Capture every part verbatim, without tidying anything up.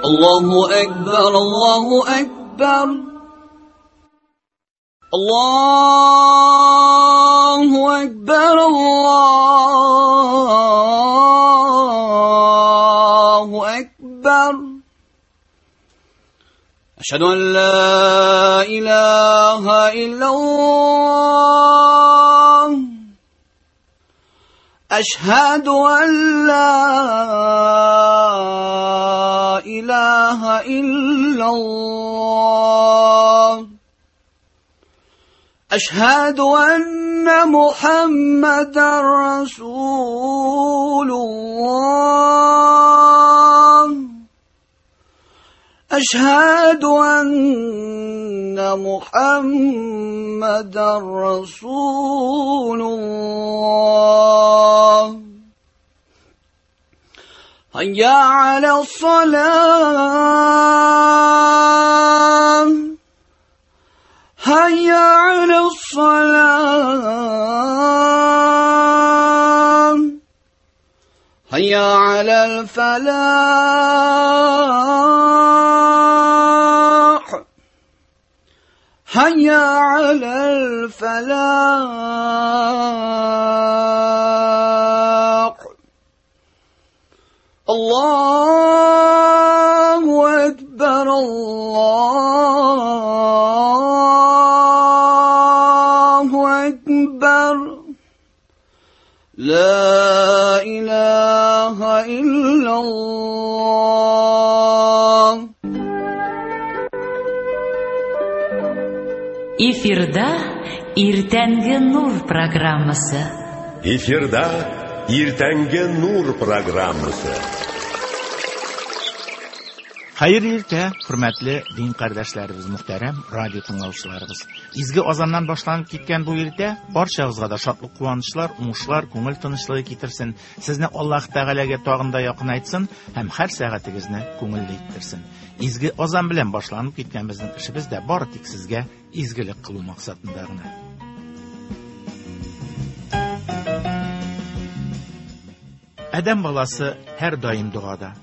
الله أكبر الله أكبر الله أكبر الله أكبر أشهد أن لا إله إلا الله أشهد أن لا إله إلا الله أشهد أن محمدا رسول الله أشهد أن محمدا رسول الله هيا على الصلاة هيا على الصلاة هيا على الفلاح هيا على الفلاح الله أكبر الله أكبر لا إله إلا الله. Эфирда Иртәнге Нур программасы. Эфирда Иртәнге Нур программасы. Хәерле иртә, хөрмәтле дин кардәшләребез, мөхтәрәм радио тыңлаучыларыбыз. Изге азаннан башланып киткән бу иртә барчагызга да шатлык, куанычлар, уңышлар, күңел тынычлыгы китерсен. Сезне Аллаһ Тәгаләгә тагын да якынайтсын һәм һәр сәгатегезне күңелле иттерсен. Изге азан белән башланып киткән безнең эшебез дә бары тик сезгә изгелек кылу максатында гына. Адәм баласы һәр даим догада.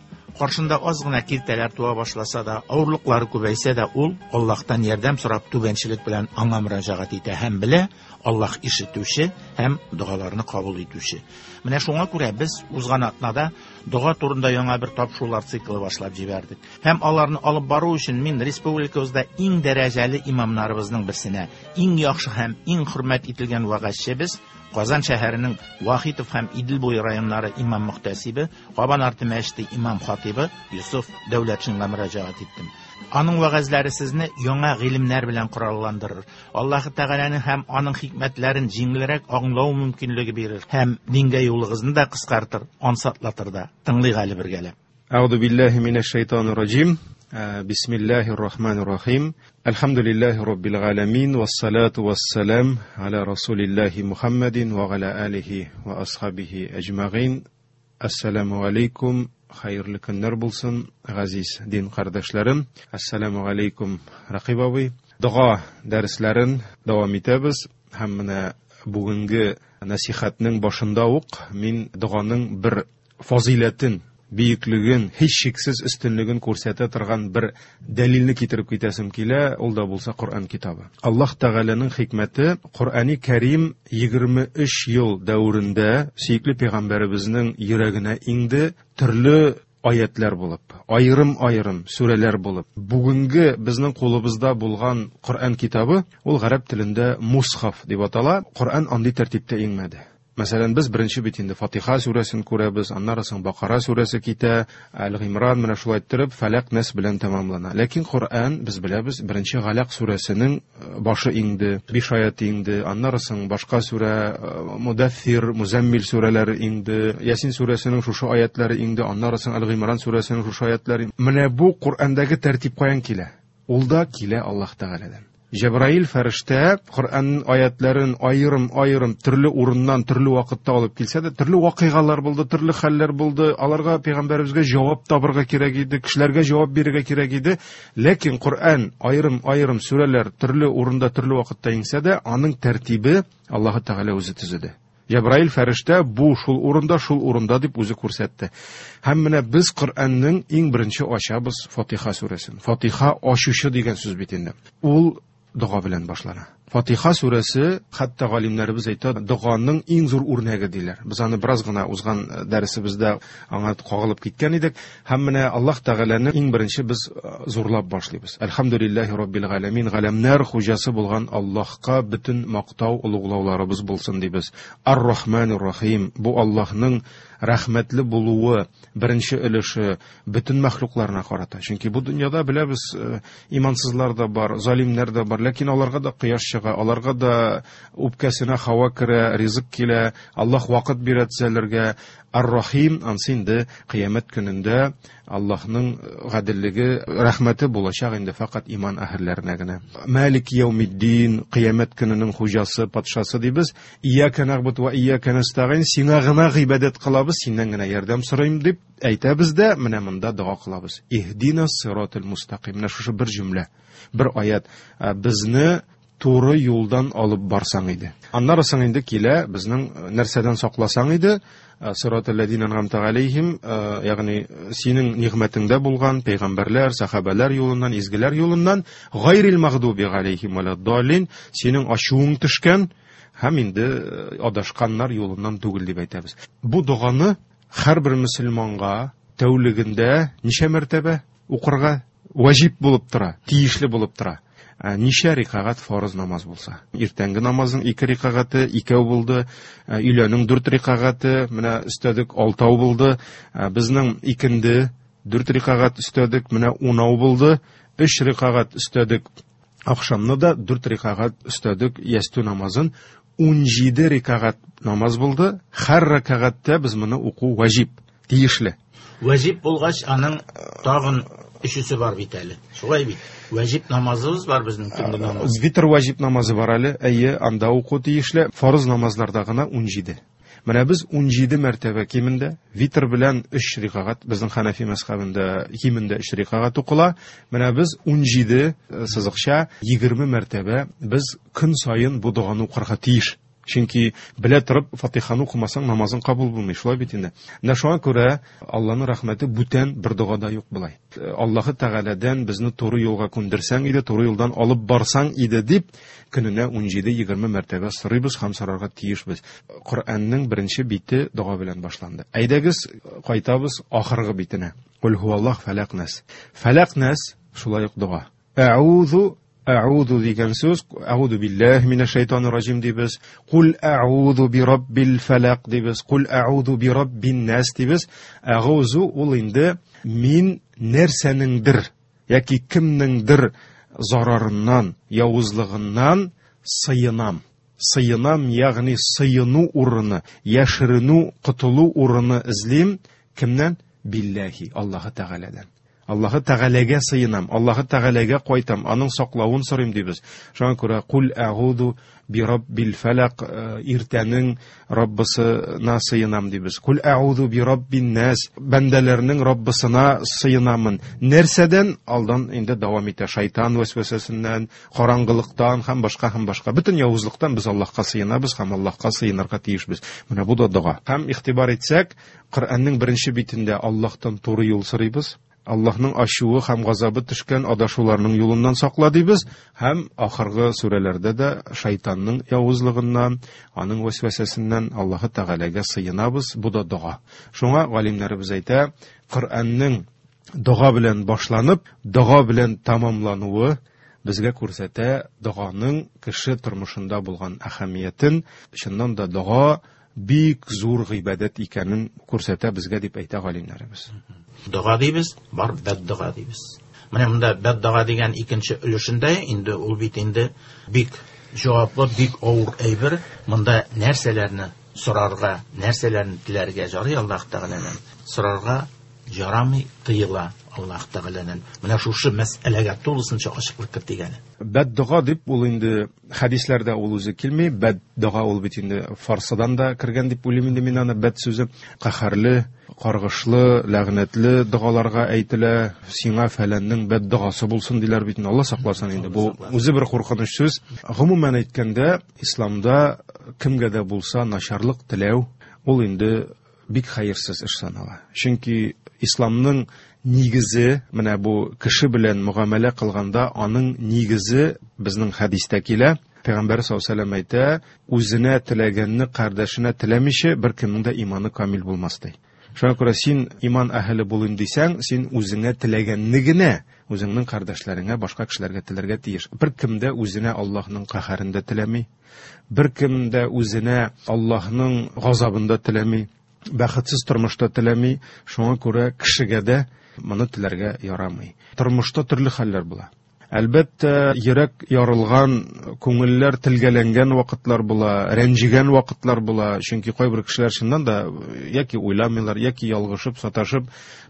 Каршында аз гына киртәләр туа башласа да, авырлыклары күбәйсә дә, ул Аллаһтан ярдәм сорап түбәнчелек белән аңа мөрәҗәгать итә һәм белә, Аллаһ ишетүче һәм догаларны кабул итүче. Менә шуңа күрә без узган атнада дога турында яңа бер тапшырулар циклы башлап җибәрдек. Һәм аларны алып бару өчен мин республикабызда иң дәрәҗәле имамнарыбызның берсенә, иң яхшы һәм иң хөрмәт ителгән вәгазьчебез, Казан шәһәренең Вахитов һәм Идел буе районнары имам мөхтәсибе, Кабан арты мәчете имам хатибы Юсуф Дәүләтшинга мөрәҗәгать иттем. Аның вәгазьләре сезне яңа гыйлемнәр белән коралландырыр. Аллаһ Тәгаләнең һәм аның хикмәтләрен җиңелрәк аңлау мөмкинлеге бирер һәм дингә юлыгызны да кыскартыр, ансатлатыр да. Тыңлыйк әле бергәләп. Әгъузу биллаһи минәш шайтанир раҗим. Бисмиллаһир рахманир рахим. Әлхәмдүлиллаһи раббил галәмин вассалату вассалам аля расулиллаһи Мухаммадин ва аля алихи ва асхабихи әҗмәгыйн. Ассаламу алейкум. Хәерле көннәр булсын, газиз дин кардәшләрем. Ассаламу алейкум, Рақиб абый. Дога дәресләрен дәвам итәбез һәм менә бүгенге насихатның башында ук мин доганың бер фазыйләтен, бөеклеген, һичшиксез өстенлеген күрсәтә торган бер дәлилне китереп китәсем килә, ул да булса Коръән китабы. Аллаһ Тәгаләнең хикмәте, Коръәни Кәрим егерме өч ел дәверендә сөекле пәйгамбәребезнең йөрәгенә иңде, төрле аятлар булып, аерым-аерым сүрәләр булып. Бүгенге безнең кулыбызда булган Коръән китабы, ул гарәп телендә мусхаф дип атала. Коръән андый тәртиптә иңмәде. Мәсәлән, без беренче бит инде Фатиха сүрәсен күрәбез, аннары соң Бакара сүрәсе китә, Әл-Гыймран менә шулай иттереп Фәләк, Нәс белән тәмамлана. Ләкин Коръән, без беләбез, беренче Галәк сүрәсенең башы иңде, биш аяты иңде, аннары соң башка сүрә, Мудәффир, Музәммил сүрәләре иңде, Ясин сүрәсенең шушы аятлары иңде, аннары соң Әл-Гыймран сүрәсенең шушы аятлары. Менә бу Коръәндәге тәртип каян килә? Ул да килә Аллаһ Тәгаләдән. Җәбраил фәрештә Коръән аятларын аерым-аерым төрле урыннан, төрле вакытта алып килсә дә, төрле вакыйгалар булды, төрле хәлләр булды. Аларга пәйгамбәребезгә җавап табырга кирәк иде, кешеләргә җавап бирергә кирәк иде. Ләкин Коръән аерым-аерым сүрәләр төрле урында, төрле вакытта иңсә дә, аның тәртибе Аллаһ Тәгалә үзе төзеде. Җәбраил фәрештә бу шул урында, шул урында дип үзе күрсәтте. Һәм менә без Коръәннең иң беренче ачабыз Фатиха сүрәсен. Фатиха ачучы дигән сүз бит инде. Ул дога белән башлана. Фатиха сүрәсе, хәтта галимнәребез әйтә, доганың иң зур үрнәге диләр. Без аны бераз гына узган дәресебездә аңа кагылып киткән идек. Һәм менә Аллаһ Тәгаләне иң беренче без зурлап башлыйбыз. Әлхәмдүлиллаһи раббил галәмин, галәмнәр хуҗасы булган Аллаһка бөтен мактау, олуглауларыбыз булсын дибез. Ар-Рахманир Рахим, бу Аллаһның рәхмәтле булуы беренче өлеше бөтен мәхлукларына карата. Чөнки бу дөньяда беләбез, имансызлар да бар, залимнәр дә бар, ләкин аларга да кояш чыга, аларга да үпкәсенә һава керә, ризык килә, Аллаһ вакыт бирә төзәлергә. Ар-Рахим, ансы инде кыямәт көнендә Аллаһның гаделлеге, рәхмәте булачак инде фақат иман әһелләренә генә. Малик яумиддин, кыямәт көненең хуҗасы, патшасы дибез. Ияка нагбуду ва ияка настагин, сиңа гына гыйбадәт кылабыз, синнән генә ярдәм сорыйм дип әйтәбез дә, менә монда дога кылабыз. Иһдинас сиратал мустаким. Менә шушы бер җөмлә, бер аят безне туры юлдан алып барсаң иде. Аннары соң инде килә безнең нәрсәдән сакласаң иде, сиратал ләзина ан'амта алейхим, ягъни синең нигъмәтеңдә булган пәйгамбәрләр, сахабәләр юлыннан, изгеләр юлыннан, гайрил магдуби алейхим валаддаллин, синең ачуың төшкән һәм инде адашканнар юлыннан түгел дип әйтәбез. Бу доганы һәрбер мөселманга тәүлегендә ничә мәртәбә укырга ваҗиб булып тора, тиешле булып тора. Ничә рикагать фарыз намаз булса. Иртәнге намазның ике рикагате икәү булды, өйләнең дүрт рикагате, менә өстәдек алтау булды, безнең икенде дүрт рикагать өстәдек, менә унау булды, өч рикагать өстәдек ахшамны да дүрт рикагать өстәдек ястү намазын, ун җиде рикагать намаз булды. Һәр рикагатьтә без моны уку ваҗиб, тиешле. Ваҗиб булгач, аның тагын өчесе бар бит әле. Шулай бит. Ваҗиб намазыбыз бар безнең төнге намаз. Витр ваҗиб намазы бар әле. Әйе, анда уку тиешле. Фарыз намазларда гына ун җиде. Менә без ун җиде мәртәбә кимендә витр белән өч рикагать, безнең Ханафи мәзһәбендә кимендә өч рикагать укыла. Менә без ун җиде сызыкча егерме мәртәбә без көн саен бу доганы укырга тиеш. Чөнки белә торып Фатиханы укымасаң намазың кабул булмый, шулай бит инде. Менә шуңа күрә Аллаһның рәхмәте бүтән бер догада юк болай. Аллаһы Тәгаләдән безне туры юлга күндерсәң иде, туры юлдан алып барсаң иде дип көненә ун җиде егерме мәртәбә сорыйбыз һәм сорарга тиешбез. Коръәннең беренче бите дога белән башланды. Әйдәгез, кайтабыз ахыргы битенә. Кул һуаллаһ фалак нас. Фалак нас шулай ук дога. Әгъузу Әгъузу дигән сүз, әгъузу биллаһи минәш шайтанир раҗим дибез, кул әгъузу би раббил фалак дибез, кул әгъузу би раббин нас дибез. Әгъузу ул инде мин нәрсәнеңдер яки кемнеңдер зарарыннан, явызлыгыннан сыенам. Сыенам, ягъни сыену урыны, яшеренү, котылу урыны эзлим. Кемнән? Биллаһи, Аллаһы Тәгаләдән. Аллаһы Тәгаләгә сыенам, Аллаһы Тәгаләгә кайтам, аның саклавын сорыйм дибез. Шуңа күрә кул әгъузу би раббил фалак, иртәнең Раббысына сыенам дибез. Кул әгъузу би раббин нас, бәндәләрнең Раббысына сыенамын. Нәрсәдән? Алдан инде дәвам итә, шайтан вәсвәсәсеннән, караңгылыктан һәм башка һәм башка. Бөтен явызлыктан без Аллаһка сыенабыз һәм Аллаһка сыенырга тиешбез. Менә бу да дога. Һәм игътибар итсәк, Коръәннең беренче битендә Аллаһтан туры юл сорыйбыз. Аллаһның ачуы һәм газабы төшкән адашуларның юлыннан сакла дибез, һәм ахыргы сүрәләрдә дә шайтанның явызлыгыннан, аның вәсвәсәсеннән Аллаһы Тәгаләгә сыенабыз. Бу да дога. Шуңа галимнәребез әйтә, Коръәннең дога белән башланып, дога белән тәмамлануы безгә күрсәтә доганың кеше тормышында булган әһәмиятен. Чыннан да дога бик зур гыйбадәт икәнен күрсәтә безгә дип әйтә галимнәребез. Дога дибез, бар бәддога дибез. Менә монда бәддога дигән икенче өлешендә инде ул бит инде бик җаваплы, бик авыр әйбер. Монда нәрсәләрне сорарга, нәрсәләрне теләргә ярый Аллаһ Тәгаләдән? Сорарга ярамый, тыела Аллаһ Тәгаләдән. Менә шушы мәсьәләгә тулысынча ачыклык кертик әле. Бәддога дип ул инде хәдисләрдә ул үзе килми. Бәддога ул бит инде фарсыдан да кергән дип уйлыйм инде мин аны. Бәд сүзе каһәрле, каргышлы, ләгънәтле догаларга әйтелә. Сиңа фәләннең бәддогасы булсын диләр бит инде. Алла сакласын инде. Бу үзе бер куркыныч сүз. Гомумән әйткәндә, исламда кемгә дә булса начарлык теләү ул инде бик хәерсез эш санала. Чөнки исламның нигезе, менә бу кеше белән мөгамәлә кылганда аның нигезе безнең хәдистә килә. Пәйгамбәр саллаллаһу алейһи ва сәлләм әйтә, үзенә теләгәнне кардәшенә теләмичә беркемнең дә иманы камил булмас ди. Шуңа күрә син иман әһеле булыйм дисәң, син үзеңә теләгәнне генә үзеңнең кардәшләреңә, башка кешеләргә теләргә тиеш. Беркем дә үзенә Аллаһның каһәрен дә теләми, беркем дә үзенә Аллаһның газабын да теләми, бәхетсез тормышта теләми. Шуңа күрә кешегә дә моны теләргә ярамый. Тормышта төрле хәлләр була. Әлбәттә, йөрәк ярылган, күңелләр телгәләнгән вакытлар була, рәнҗегән вакытлар була. Чөнки кайбер кешеләр чыннан да яки уйламыйлар, яки ялгышып, саташып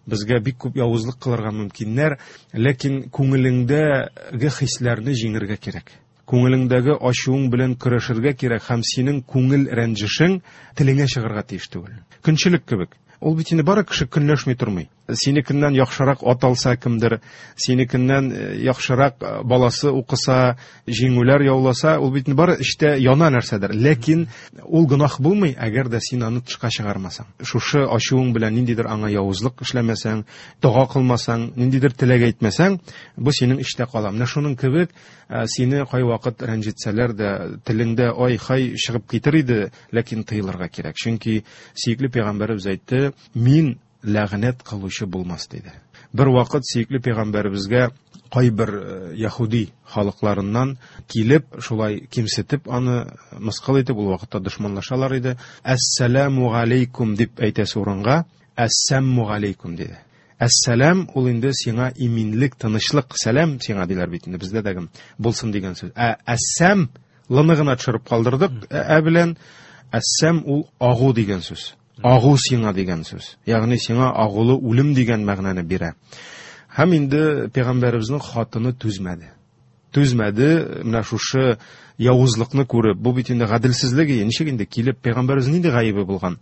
безгә бик күп явызлык кылырга мөмкиннәр. Ләкин күңелеңдәге хисләрне җиңергә кирәк. Күңелеңдәге ачуың белән көрәшергә кирәк һәм синең күңел рәнҗешең телеңә чыгарга тиеш түгел. Көнчелек кебек. Ул бит инде бары кеше көнләшми тормый. Синекеннән яхшырак ат алса кемдер, синекеннән яхшырак баласы укыса, җиңүләр яуласа, ул бит инде бары эчтә яна нәрсәдер. Ләкин ул гөнаһ булмый, әгәр дә син аны тышка чыгармасаң. Шушы ачуың белән ниндидер аңа явызлык эшләмәсәң, дога кылмасаң, ниндидер теләк әйтмәсәң, бу синең эчтә кала. Менә шуның кебек сине кайвакыт рәнҗетсәләр дә, телеңдә ай-хай чыгып китер иде, ләкин тыелырга кирәк. Чөнки сөекле пәйгамбәребез әйтте, мин ләгънәт кылучы булмас диде. Бер вакыт сөекле пәйгамбәребезгә кайбер яһүди халыкларыннан килеп, шулай кимсетеп, аны мыскыл итеп, ул вакытта дошманлашалар иде. Әссәламу алейкум дип әйтәсе урынга әссәмму алейкум диде. Әссәлам ул инде сиңа иминлек, тынычлык, сәлам сиңа диләр бит инде бездә дә булсын дигән сүз. Ә әссәм лыны гына төшереп калдырдык, ә белән әссәм ул агу дигән сүз. Агу сиңа дигән сүз. Ягъни сиңа агулы үлем дигән мәгънәне бирә. Һәм инде пәйгамбәребезнең хатыны түзмәде. Түзмәде, менә шушы явызлыкны күреп, бу бит инде гаделсезлек, ничек инде килеп пәйгамбәребез нинди гаебе булган?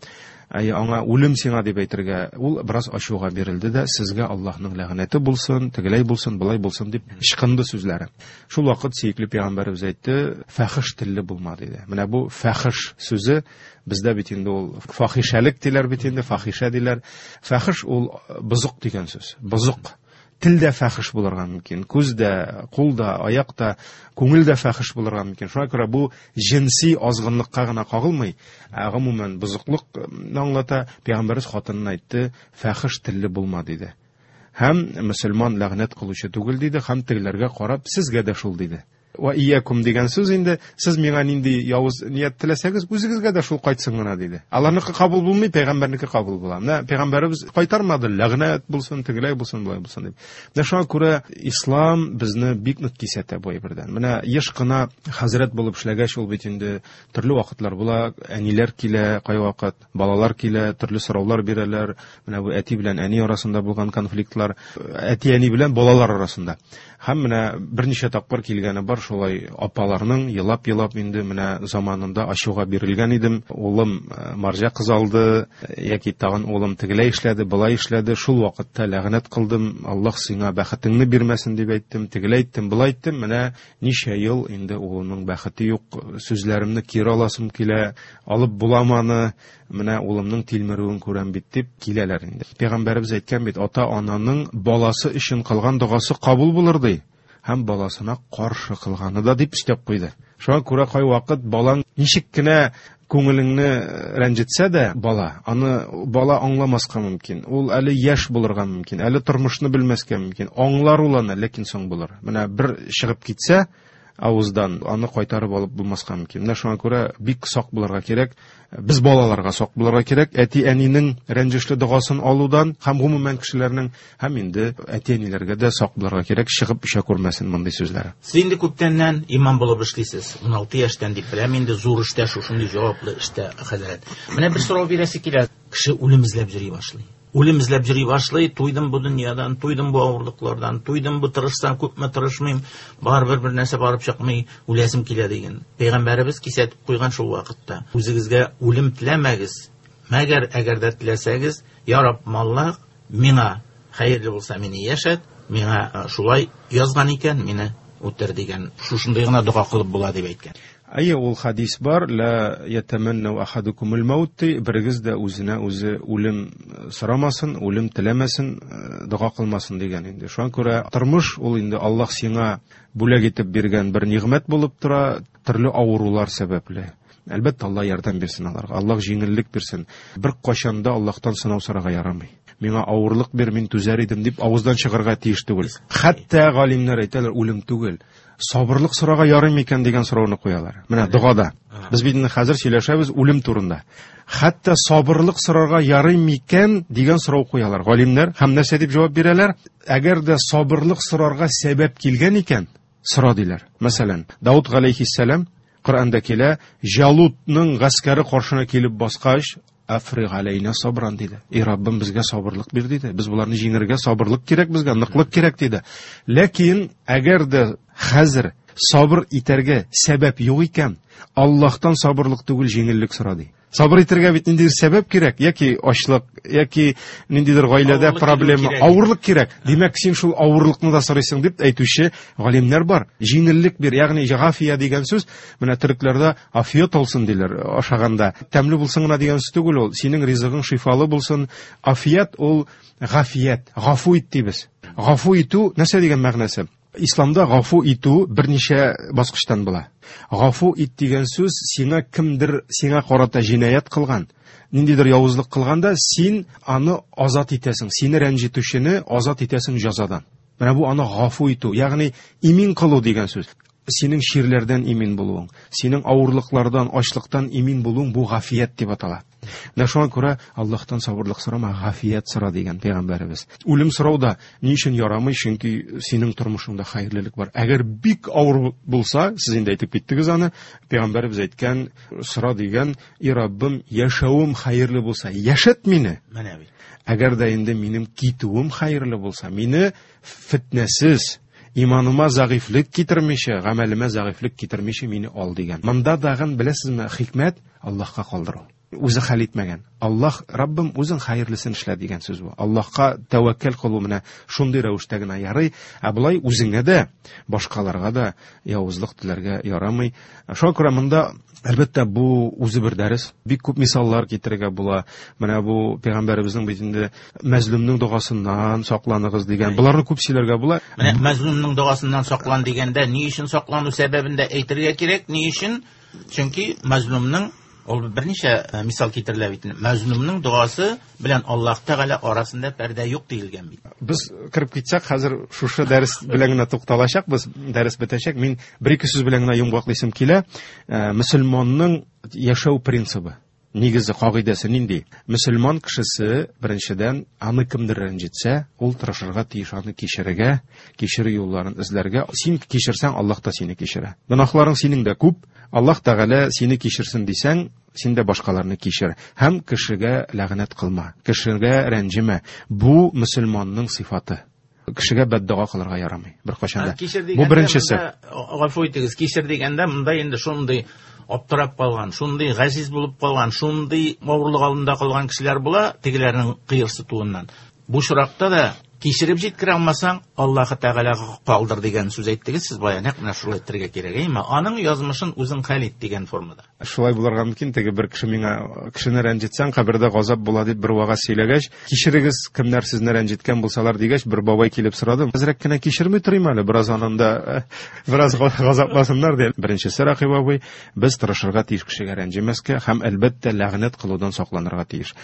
Әй, аңа үлем сиңа дип әйтергә, ул бераз ачуга бирелде дә, сезгә Аллаһның ләгънәте булсын, тегеләй булсын, болай булсын дип ычкынды сүзләре. Шул вакыт сөекле пәйгамбәребез әйтте, фәхиш телле булма диде. Менә бу фәхиш сүзе бездә бит инде ул фахишәлек диләр бит инде, фахишә диләр. Фәхиш ул бозык дигән сүз. Бозык. Тел дә фәхиш булырга мөмкин, күз дә, кул да, аяк та, күңел дә фәхиш булырга мөмкин. Шуңа күрә бу җенси азгынлыкка гына кагылмый, ә гомумән бозыклыкны аңлата. Пәйгамбәребез хатынына әйтте, фәхиш телле булма диде. Һәм мөселман ләгънәт кылучы түгел диде, һәм тегеләргә карап, сезгә дә шул диде. Ва иякум дигән сүз инде, сез миңа нинди явыз ният теләсәгез, үзегезгә дә шул кайтсын гына диде. Аларныкы кабул булмый, пәйгамбәрнеке кабул була. Менә пәйгамбәребез кайтармады, ләгънәт булсын, тегеләй булсын, болай булсын дип. Менә шуңа күрә ислам безне бик нык кисәтә бу әйбердән. Менә еш кына хәзрәт булып эшләгәч, ул бит инде төрле вакытлар була, әниләр килә, кайвакыт балалар килә, төрле сораулар бирәләр. Менә бу әти белән әни арасында булган конфликтлар, әти-әни белән балалар арасында. Һәм менә берничә тапкыр килгәне бар, шулай апаларның елап-елап инде менә заманында ачуга бирелгән идем. Улым марҗа кыз алды, яки тагын улым тегеләй эшләде, болай эшләде. Шул вакытта ләгънәт кылдым, Аллаһ сиңа бәхетеңне бирмәсен дип әйттем, тегеләй әйттем, болай әйттем. Менә ничә ел инде улымның бәхете юк, сүзләремне кире аласым килә, алып буламы аны, менә улымның тилмерүен күрәм бит дип киләләр инде. Пәйгамбәребез әйткән бит, ата-ананың баласы өчен кылган догасы кабул булыр ди. Һәм баласына каршы кылганы да дип өстәп куйды. Шуңа күрә кайвакыт балаң ничек кенә күңелеңне рәнҗетсә дә, бала, аны бала аңламаска мөмкин. Ул әле яшь булырга мөмкин, әле тормышны белмәскә мөмкин. Аңлар ул аны, ләкин соң булыр. Менә бер чыгып китсә авыздан, аны кайтарып алып булмаска мөмкин. Менә шуңа күрә бик сак булырга кирәк. Без балаларга сак булырга кирәк. Әти-әнинең рәнҗешле догасын алудан һәм гомумән кешеләрнең, һәм инде әти-әниләргә дә сак булырга кирәк, чыгып эчә күрмәсен мондый сүзләре. Сез инде күптәннән имам булып эшлисез. ун алты яшьтән дип беләм, инде зур эштә, шушындый җаваплы эштә, хәзрәт. Менә бер сорау бирәсе килә. Кеше үлем эзләп йөри башлый. Үлем эзләп йөри башлый, туйдым бу дөньядан, туйдым бу авырлыклардан, туйдым бу тырышсам, күпме тырышмыйм, барыбер бер нәрсә барып чыкмый, үләсем килә дигән. Пәйгамбәребез кисәтеп куйган шул вакытта. Үзегезгә үлем теләмәгез. Мәгәр әгәр дә теләсәгез, я Раббым Аллаһ, миңа хәерле булса мине яшәт, миңа шулай язган икән, мине үтер дигән, шушындый гына дога кылып була дип әйткән. Әйе, ул хадис бар, ла ятаманну ахадукумул маут, берегез дә үзенә үзе үлем сорамасын, үлем теләмәсен, дога кылмасын дигән инде. Шуңа күрә тормыш ул инде Аллаһ сиңа бүләк итеп биргән бер нигъмәт булып тора, төрле авырулар сәбәпле. Әлбәттә, Аллаһ ярдәм бирсен аларга, Аллаһ җиңеллек бирсен. Бер кашан да Аллаһтан сынау сорарга ярамый. Миңа авырлык бир, мин түзәр идем дип авыздан чыгарга тиеш түгел. Хәтта галимнәр әйтәләр, үлем түгел, сабырлык сорарга ярый микән дигән сорауны куялар. Менә догада. Без бит инде хәзер сөйләшәбез үлем турында. Хәтта сабырлык сорарга ярый микән дигән сорау куялар галимнәр. Һәм нәрсә дип җавап бирәләр? Әгәр дә сабырлык сорарга сәбәп килгән икән, сора диләр. Мәсәлән, Дауд галәйһиссәлам Коръәндә килә, Җалутның гаскәре каршына килеп баскач, Африг алейна сабран диде. Эй Раббым, безгә сабырлык бир диде. Без буларны җиңәргә сабырлык кирәк безгә, ныклык кирәк диде. Ләкин әгәр дә хәзер сабыр итәргә сәбәп юк икән, Аллаһтан сабырлык түгел, җиңеллек сора ди. Сабыр итәргә бит ниндидер сәбәп кирәк, яки ачлык, яки ниндидер гаиләдә проблема, авырлык кирәк. Димәк, син шул авырлыкны да сорыйсың дип әйтүче галимнәр бар. Җиңеллек бир, ягъни гафия дигән сүз, менә төрекләрдә афият алсын диләр ашаганда. Тәмле булсын гына дигән сүз түгел ул. Синең ризыгың шифалы булсын. Афият ул гафият, гафу ит дибез. Гафу итү нәрсә дигән мәгънәсе? Исламда гафу итү берничә баскычтан була. Гафу ит дигән сүз сиңа кемдер сиңа карата җинаять кылган, ниндидер явызлык кылганда син аны азат итәсең, сине рәнҗетүчене азат итәсең җәзадан. Менә бу аны гафу итү, ягъни имин кылу дигән сүз. Синең чирләрдән имин булуың, синең авырлыклардан, ачлыктан имин булуың бу гафият дип атала. Менә шуңа күрә Аллаһтан сабырлык сорама, гафият сора дигән пәйгамбәребез. Үлем сорау да ни өчен ярамый? Чөнки синең тормышыңда хәерлелек бар. Әгәр бик авыр булса, сез инде әйтеп киттегез аны, пәйгамбәребез әйткән, сора дигән, "И Раббым, яшәвем хәерле булса, яшәт мине." Менә бит. Әгәр дә инде минем китүем хәерле булса, мине фитнәсез, иманыма зәгыйфьлек китермичә, гамәлемә зәгыйфьлек китермичә мине ал дигән. Монда тагын беләсезме, хикмәт Аллаһка калдыру. Үзе хәл итмәгән. Аллаһ, Раббым, үзең хәерлесен эшлә дигән сүз бу. Аллаһка тәвәккәл кылу менә шундый рәвештә генә ярый, ә болай үзеңә дә, башкаларга да явызлык теләргә ярамый. Шуңа күрә монда әлбәттә бу үзе бер дәрес. Бик күп мисаллар китерергә була. Менә бу пәйгамбәребезнең бит инде мәзлумның догасыннан сакланыгыз дигән. Боларны күп сөйләргә була. Менә мәзлумның догасыннан саклан дигәндә ни өчен саклану сәбәбен дә әйтергә кирәк, ни өчен? Чөнки мәзлумның ул берничә мисал китерелә бит. Мәзлумның догасы белән Аллаһ Тәгалә арасында пәрдә юк диелгән бит. Без кереп китсәк, хәзер шушы дәрес белән генә тукталачакбыз, дәрес бетәчәк. Мин бер-ике сүз белән генә йомгаклыйсым килә. Мөселманның яшәү принцибы, нигезе, кагыйдәсе нинди? Мөселман кешесе беренчедән аны кемдер рәнҗетсә, ул тырышырга тиеш аны кичерергә, кичерү юлларын эзләргә. Син кичерсәң, Аллаһ та сине кичерә. Гөнаһларың синең дә күп, Аллаһ Тәгалә сине кичерсен дисәң, син дә башкаларны кичер. Һәм кешегә ләгънәт кылма, кешегә рәнҗемә. Бу мөселманның сыйфаты. Кешегә бәддуа кылырга ярамый беркайчан да. Бу беренчесе. Гафу итегез, кичер дигәндә монда инде шундый аптырап калган, шундый газиз булып калган, шундый авырлык алдында калган кешеләр була, тегеләрнең кыерсытуыннан. Бу очракта да кичереп җиткерә алмасаң, Аллаһ Тәгаләгә калдыр дигән сүз әйттегез сез бая, нәкъ менә шулай әйтергә кирәк, әйме? Аның язмышын үзең хәл ит дигән формада. Шулай булырга мөмкин, теге бер кеше миңа кешене рәнҗетсәң, кабердә газап була дип бер вагаз сөйләгәч, кичерегез, кемнәр сезне рәнҗеткән булсалар дигәч, бер бабай килеп сорады. Әзрәк кенә кичерми торыйм әле, бераз ананда бераз газапласыннар дип. Беренчесе, Рәхим абый, без тырышырга тиеш кешегә рәнҗемәскә һәм әлбәттә ләгънәт кылудан сакланырга тиеш.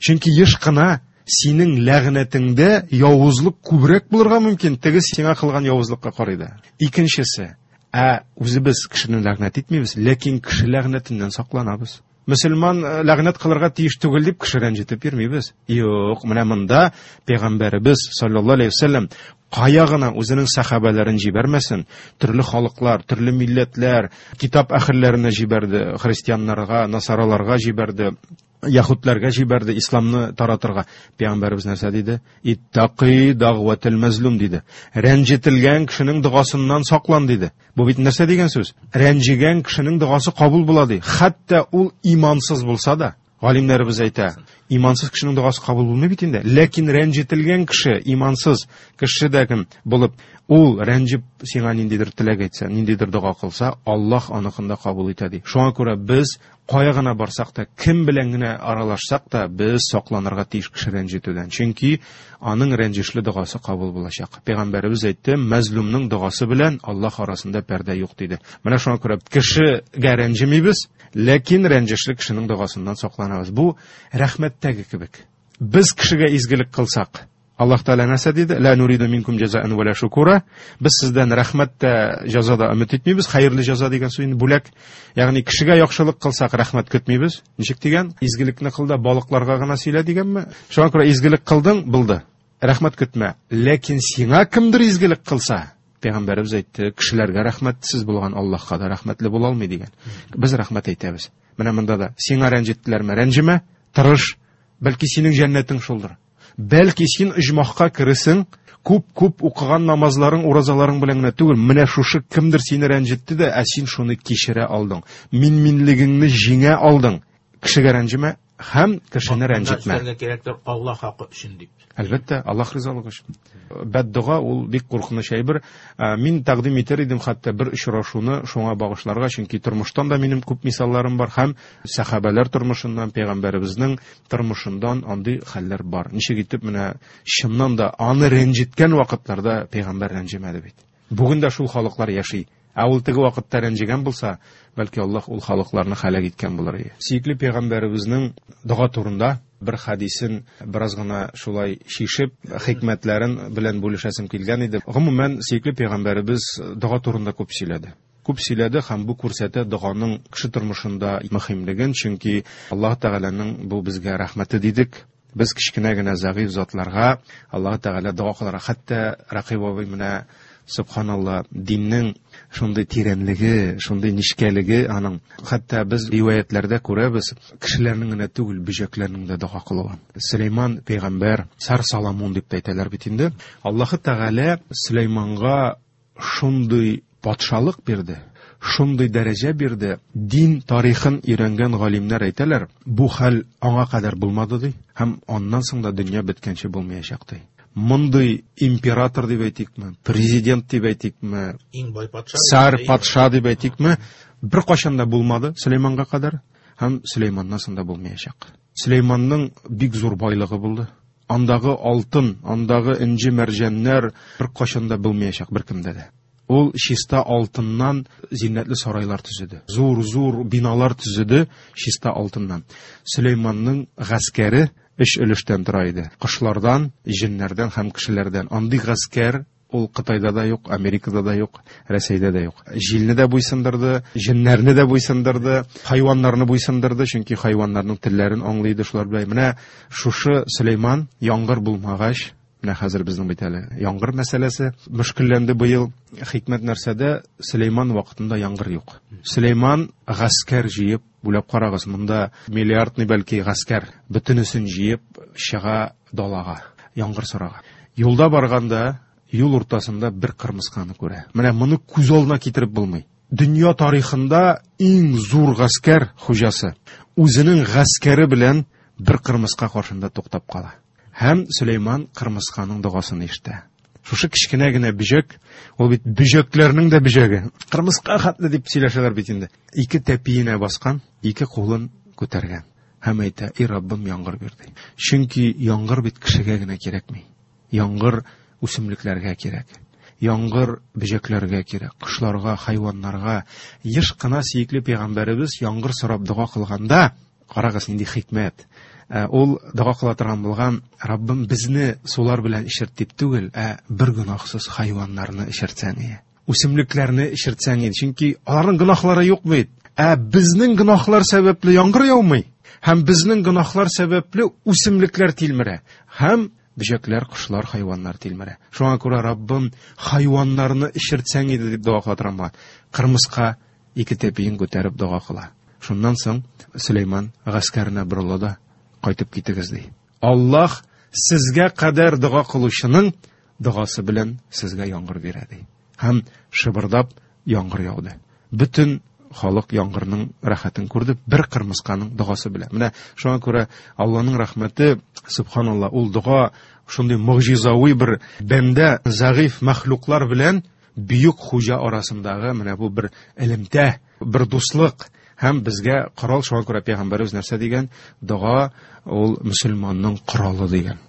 Чөнки еш кына синең ләгънәтеңдә явызлык күбрәк булырга мөмкин, теге сиңа кылган явызлыкка карый да. Икенчесе, ә үзебез кешене ләгънәт итмибез, ләкин кеше ләгънәтеннән сакланабыз. Мөселман ләгънәт кылырга тиеш түгел дип кеше рәнҗетеп йөрмибез. Юк, менә монда пәйгамбәребез саллаллаһу алейһи вәсәлләм кая гына үзенең сахабәләрен җибәрмәсен, төрле халыклар, төрле милләтләр, китап әһелләренә җибәрде, христианнарга, насараларга җибәрде, яһүдләргә җибәрде исламны таратырга. Пәйгамбәребез нәрсә диде? Иттақи дагъватил мазлум диде. Рәнҗетелгән кешенең догасыннан саклан диде. Бу бит нәрсә дигән сүз? Рәнҗегән кешенең догасы кабул була ди. Хәтта ул имансыз булса да, галимнәребез әйтә, Имансыз кешенең догасы кабул булмый бит инде. Ләкин рәнҗетелгән кеше, имансыз кеше дә кем булып, ул рәнҗеп сиңа ниндидер теләк әйтсә, ниндидер дога кылса, Аллаһ аныкын да кабул итә ди. Шуңа күрә без кая гына барсак та, кем белән генә аралашсак та, без сакланырга тиеш кеше рәнҗетүдән. Чөнки аның рәнҗешле догасы кабул булачак. Пәйгамбәребез әйтте, мәзлумның догасы белән Аллаһ арасында пәрдә юк диде. Менә шуңа күрә кешегә рәнҗемибез, ләкин рәнҗешле кешенең догасыннан сакланабыз. Бу рәхмәттәге кебек. Без кешегә изгелек кылсак, Аллаһ Тәгалә нәрсә диде? Ла нуриду минкум җазаан ва ла шукура. Без сездән рәхмәт тә, җәза да өмет итмибез. Хәерле җәза дигән сүз инде бүләк. Ягъни кешегә яхшылык кылсак, рәхмәт көтмибез. Ничек дигән? Изгелекне кыл да балыкларга гына сөйлә дигәнме? Шуңа күрә изгелек кылдың, булды. Рәхмәт көтмә. Ләкин сиңа кемдер изгелек кылса, Пәйгамбәребез әйтте, кешеләргә рәхмәтсез булган Аллаһка да рәхмәтле була алмый дигән. Без рәхмәт әйтәбез. Менә монда да сиңа рәнҗеттеләрме? Рәнҗемә, тырыш. Бәлки синең җәннәтең шулдыр. Бәлки син оҗмахка кересең, күп-күп укыган намазларың, уразаларың белән генә түгел, менә шушы кемдер сине рәнҗетте дә, ә син шуны кичерә алдың. Мин-минлегеңне җиңә алдың. Кешегә рәнҗемә һәм кешене рәнҗетмә. Өстәргә кирәктер Аллаһ хакы өчен дип. Әлбәттә, Аллаһ ризалыгы өчен. Бәддуга ул бик куркыныч әйбер. Мин тәкъдим итәр идем хәтта бер очрашуны шуңа багышларга, чөнки тормыштан да минем күп мисалларым бар һәм сәхабәләр тормышыннан, пәйгамбәребезнең тормышыннан андый хәлләр бар. Ничек итеп менә чыннан да аны рәнҗеткән вакытларда пәйгамбәр рәнҗемәде бит. Бүген дә шул халыклар яши. Ә ул теге вакытта рәнҗегән булса, бәлки Аллаһ ул халыкларны һәлак иткән булыр иде. Сөекле пәйгамбәребезнең дога турында бер хадисен бераз гына шулай шишеп, хикмәтләрен белән бүлешәсем килгән иде. Гомумән, сөекле пәйгамбәребез дога турында күп сөйләде. Күп сөйләде һәм бу күрсәтә доганың кеше тормышында мөһимлеген, чөнки Аллаһ Тәгаләнең бу безгә рәхмәте дидек. Без кечкенә генә зәгыйфь затларга Аллаһ Тәгалә дога кылырга, хәтта Рәкыйб абый менә субханалла, диннең шундый тирәнлеге, шундый нечкәлеге аның. Хәтта без риваятләрдә күрәбез, кешеләрнең генә түгел, бөҗәкләрнең дә дога кылуын. Сөләйман пәйгамбәр, Сар Соломон дип тә әйтәләр бит инде. Аллаһы Тәгалә Сөләйманга шундый патшалык бирде, шундый дәрәҗә бирде. Дин тарихын өйрәнгән галимнәр әйтәләр, бу хәл аңа кадәр булмады ди, һәм аннан соң да дөнья беткәнче булмаячак ди. Мондый император дип әйтикме, президент дип әйтикме, иң бай патша, сар патша дип әйтикме, бер кайчан да булмады Сөләйманга кадәр һәм Сөләйманнан соң да булмаячак. Сөләйманның бик зур байлыгы булды. Андагы алтын, андагы энҗе мәрҗәннәр бер кайчан да булмаячак беркемдә дә. Ул чиста алтыннан зиннәтле сарайлар төзеде. Зур-зур биналар төзеде чиста алтыннан. Сөләйманның гаскәре өч өлештән тора иде. Кошлардан, җеннәрдән һәм кешеләрдән. Андый гаскәр ул Кытайда да юк, Америкада да юк, Рәсәйдә дә юк. Җилне дә буйсындырды, җеннәрне дә буйсындырды, хайваннарны буйсындырды, чөнки хайваннарның телләрен аңлый иде шулар белән. Менә шушы Сөләйман яңгыр булмагач, менә хәзер безнең бит әле яңгыр мәсьәләсе мөшкелләнде быел. Хикмәт нәрсәдә? Сөләйман вакытында яңгыр юк. Сөләйман гаскәр җыеп, бүләп карагыз, монда миллиардный бәлки гаскәр, бөтенесен җыеп чыга далага, яңгыр сорага. Юлда барганда юл уртасында бер кырмысканы күрә. Менә моны күз алдына китереп булмый. Дөнья тарихында иң зур гаскәр хуҗасы үзенең гаскәре белән бер кырмыска каршында туктап кала. Һәм Сөләйман кырмысканың догасын ишетә. Шушы кечкенә генә бөҗәк, ул бит бөҗәкләрнең дә бөҗәге. Кырмыска хәтле дип сөйләшәләр бит инде. Ике тәпиенә баскан, ике кулын күтәргән. Һәм әйтә: "Эй Раббым, яңгыр бир", ди. Чөнки яңгыр бит кешегә генә кирәкми. Яңгыр үсемлекләргә кирәк. Яңгыр бөҗәкләргә кирәк, кошларга, хайваннарга. Еш кына сөекле пәйгамбәребез яңгыр сорап дога кылганда, карагыз нинди хикмәт. Ул дога кыла торган булган: "Раббым, безне сулар белән эчерт дип түгел, ә бер гөнаһсыз хайваннарны эчертсәң иде, үсемлекләрне эчертсәң иде." Чөнки аларның гөнаһлары юк бит. Ә безнең гөнаһлар сәбәпле яңгыр яумый, һәм безнең гөнаһлар сәбәпле үсемлекләр тилмерә, һәм бөҗәкләр, кошлар, хайваннар тилмерә. Шуңа күрә Раббым, хайваннарны эчертсәң иде дип дога кыла торган булган. Кырмыска ике тәпиен күтәреп дога кыла. Шуннан соң Сөләйман гаскәренә борыла да: "Кайтып китегез", ди. Аллаһ сезгә кадәр дога кылучының догасы белән сезгә яңгыр бирә, ди. Һәм шыбырдап яңгыр яуды. Бөтен халык яңгырның рәхәтен күрде бер кырмысканың догасы белән. Менә шуңа күрә Аллаһның рәхмәте, субханалла, ул дога шундый могҗизави бер бәндә зәгыйф мәхлуклар белән бөек хуҗа арасындагы менә бу бер элемтә, бер дуслык һәм безгә корал. Шуңа күрә пәйгамбәребез нәрсә дигән? Дога ул мөселманның коралы дигән,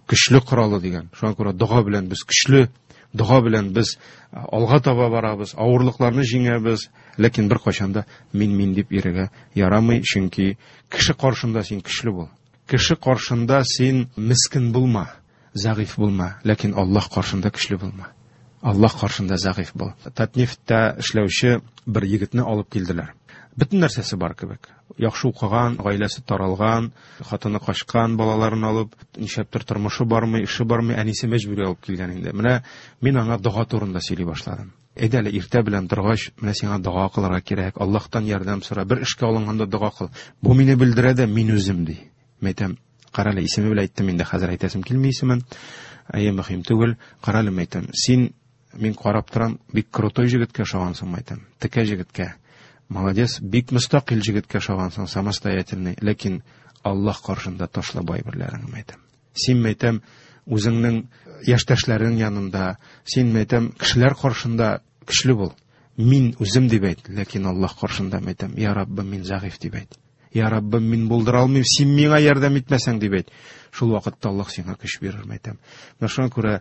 көчле коралы дигән. Шуңа күрә дога белән без көчле, дога белән без алга таба барабыз, авырлыкларны җиңәбез, ләкин бер кайчан да мин-мин дип йөрергә ярамый, чөнки кеше каршында син көчле бул. Кеше каршында син мискен булма, зәгыйф булма, ләкин Аллаһ каршында көчле булма. Аллаһ каршында зәгыйф бул. Татнефтьтә эшләүче бер егетне алып килделәр. Бөтен нәрсәсе бар кебек. Яхшы укыган, гаиләсе таралган, хатыны качкан, балаларын алып, нишләптер тормышы бармый, эше бармый, әнисе мәҗбүри алып килгән инде. Менә мин аңа дога турында сөйли башладым. Әйдә әле иртә белән торгач, менә сиңа дога кылырга кирәк, Аллаһтан ярдәм сора, бер эшкә алынганда дога кыл. Бу мине белдерә дә, мин үзем ди. Мин әйтәм, кара әле, исеме белән әйттем инде, хәзер әйтәсем килми исемен. Әйе, мөһим түгел. Кара әле, әйтәм, син, мин карап торам, бик крутой җегеткә ошагансың, әйтәм, текә җегеткә. Молодец, бик мөстәкыйль җегеткә ошагансың, самостоятельный, ләкин Аллаһ каршында ташла бер-берләреңне, әйтәм. Син, әйтәм, үзеңнең яшьтәшләрең янында, син, әйтәм, кешеләр каршында көчле бул. Мин үзем дип әйт, ләкин Аллаһ каршында, әйтәм, я Раббым, мин зәгыйф дип әйт. Я Раббым, мин булдыра алмыйм, син миңа ярдәм итмәсәң дип әйт. Шул вакытта Аллаһ сиңа көч бирер, әйтәм. Менә шуңа күрә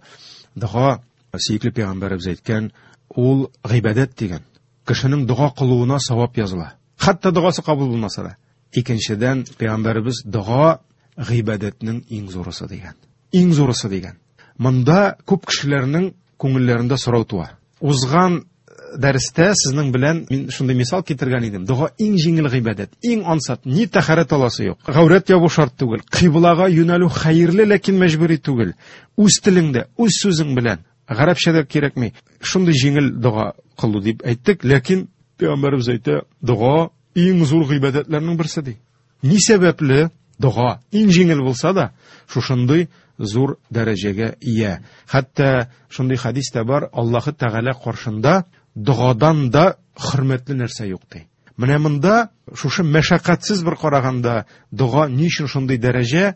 дога, сөекле пәйгамбәребез әйткән, ул гыйбадәт дигән. Кешенең дога кылуына савап языла. Хәтта догасы кабул булмаса да. Икенчедән, пәйгамбәребез дога гыйбадәтнең иң зурысы дигән. Иң зурысы дигән. Монда күп кешеләрнең күңелләрендә сорау туа. Узган дәрестә сезнең белән мин шундый мисал китергән идем. Дога иң җиңел гыйбадәт, иң ансат, ни тәһарәт аласы юк. Гаурәт ябу шарт түгел. Кыйблага юнәлү хәерле, ләкин мәҗбүри түгел. Үз телеңдә, үз сүзең белән. Гарәпчә дә кирәкми. Шундый җиңел дога кылу дип әйттек, ләкин пәйгамбәребез әйтә, дога иң зур гыйбадәтләрнең берсе ди. Ни сәбәпле дога иң җиңел булса да, шушындый зур дәрәҗәгә ия. Хәтта шундый хәдис тә бар, Аллаһы Тәгалә каршында догадан да хөрмәтле нәрсә юк ди. Менә монда шушы мәшәкатьсез бер караганда дога ни өчен шундый дәрәҗә,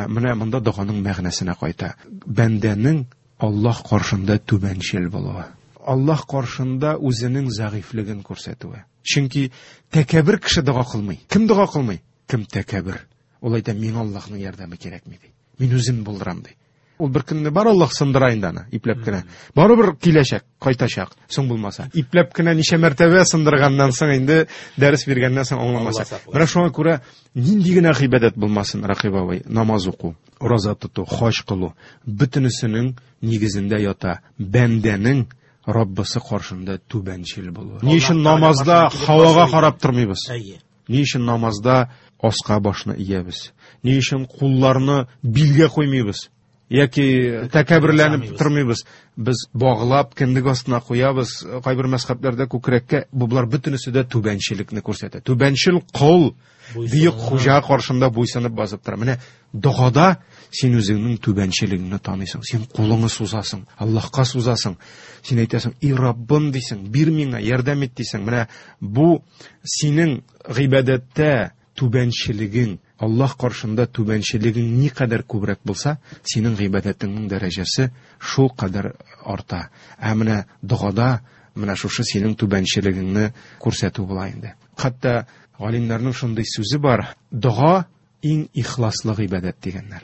менә монда доганың мәгънәсенә кайта. Бәндәнең Аллаһ каршында түбәнчел булуы. Аллаһ каршында үзенең зәгыйфьлеген күрсәтүе. Чөнки тәкәббер кеше дога кылмый. Кем дога кылмый? Кем тәкәббер? Ул әйтә, миңа Аллаһның ярдәме кирәкми ди. Мин үзем булдырам ди. Ул бер көнне бар Аллаһ сындыра инде аны, ипләп кенә. Барыбер киләчәк, кайтачак, соң булмаса. Ипләп кенә ничә мәртәбә сындырганнан соң инде дәрес биргәннән соң аңламаса. Менә шуңа күрә нинди генә гыйбадәт булмасын, Рәкыйп абый, намаз уку, ураза тоту, хаҗ кылу, бөтенесенең нигезендә ята бәндәнең Раббысы каршында түбәнчел булуы. Ни өчен намазда һавага карап тормыйбыз? Ни өчен намазда аска башны иябез? Ни өчен кулларны билгә куймыйбыз? Яки тәкәбберләнеп тормыйбыз? Без баглап кендек астына куябыз, кайбер мәзһәбләрдә күкрәккә. Бу болар бөтенесе дә түбәнчелекне күрсәтә. Түбәнчел кол бөек хуҗа каршында буйсынып басып тора. Менә догада син үзеңнең түбәнчелегеңне таныйсың, син кулыңны сузасың, Аллаһка сузасың. Син әйтәсең, "И Раббым" дисең, "Бир миңа, ярдәм ит" дисең. Менә бу синең гыйбадәттә түбәнчелегең, Аллаһ каршында түбәнчелегең никадәр күбрәк булса, синең гыйбадәтеңнең дәрәҗәсе шул кадәр арта. Ә менә догада менә шушы синең түбәнчелегеңне күрсәтү була инде. Хәтта галимнәрнең шундый сүзе бар, дога иң ихласлы гыйбадәт дигәннәр.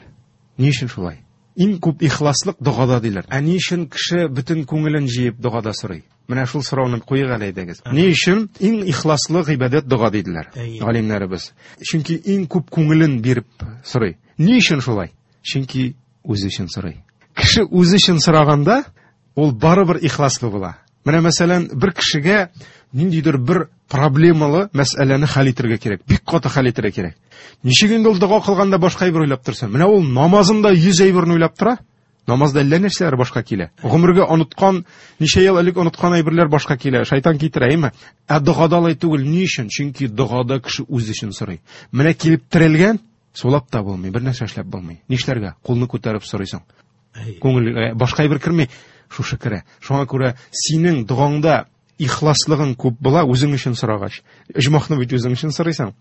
Ни өчен шулай? Иң күп ихласлык догада диләр. Ә ни өчен кеше бөтен күңелен җыеп догада сорый? Менә шул сорауны куйык әле әйдәгез. Ни өчен иң ихласлы гыйбадәт дога диделәр галимнәребез? Чөнки иң күп күңелен биреп сорый. Ни өчен шулай? Чөнки үзе өчен сорый. Кеше үзе өчен сораганда, ул барыбер ихласлы була. Менә мәсәлән, бер кешегә ниндидер бер проблемалы мәсьәләне хәл итәргә кирәк. Бик каты хәл итәргә кирәк. Ничек инде ул дога кылганда башка әйбер уйлап торса? Менә ул намазында йөз әйберне уйлап тора. Намазда әллә нәрсәләр башка килә. Гомергә оныткан, ничә ел элек оныткан әйберләр башка килә. Шайтан китерә, әйме? Ә догада алай түгел. Ни өчен? Чөнки догада кеше үз өчен сорый. Менә килеп терелгән, сулап та булмый, бер нәрсә эшләп булмый. Нишләргә? Кулны күтәреп сорыйсың. Күңел башка әйбер керми, шушы керә. Шуңа күрә синең догаңда Ихласлыгың күп була үзең өчен сорагач. Оҗмахны бит үзең өчен сорыйсың.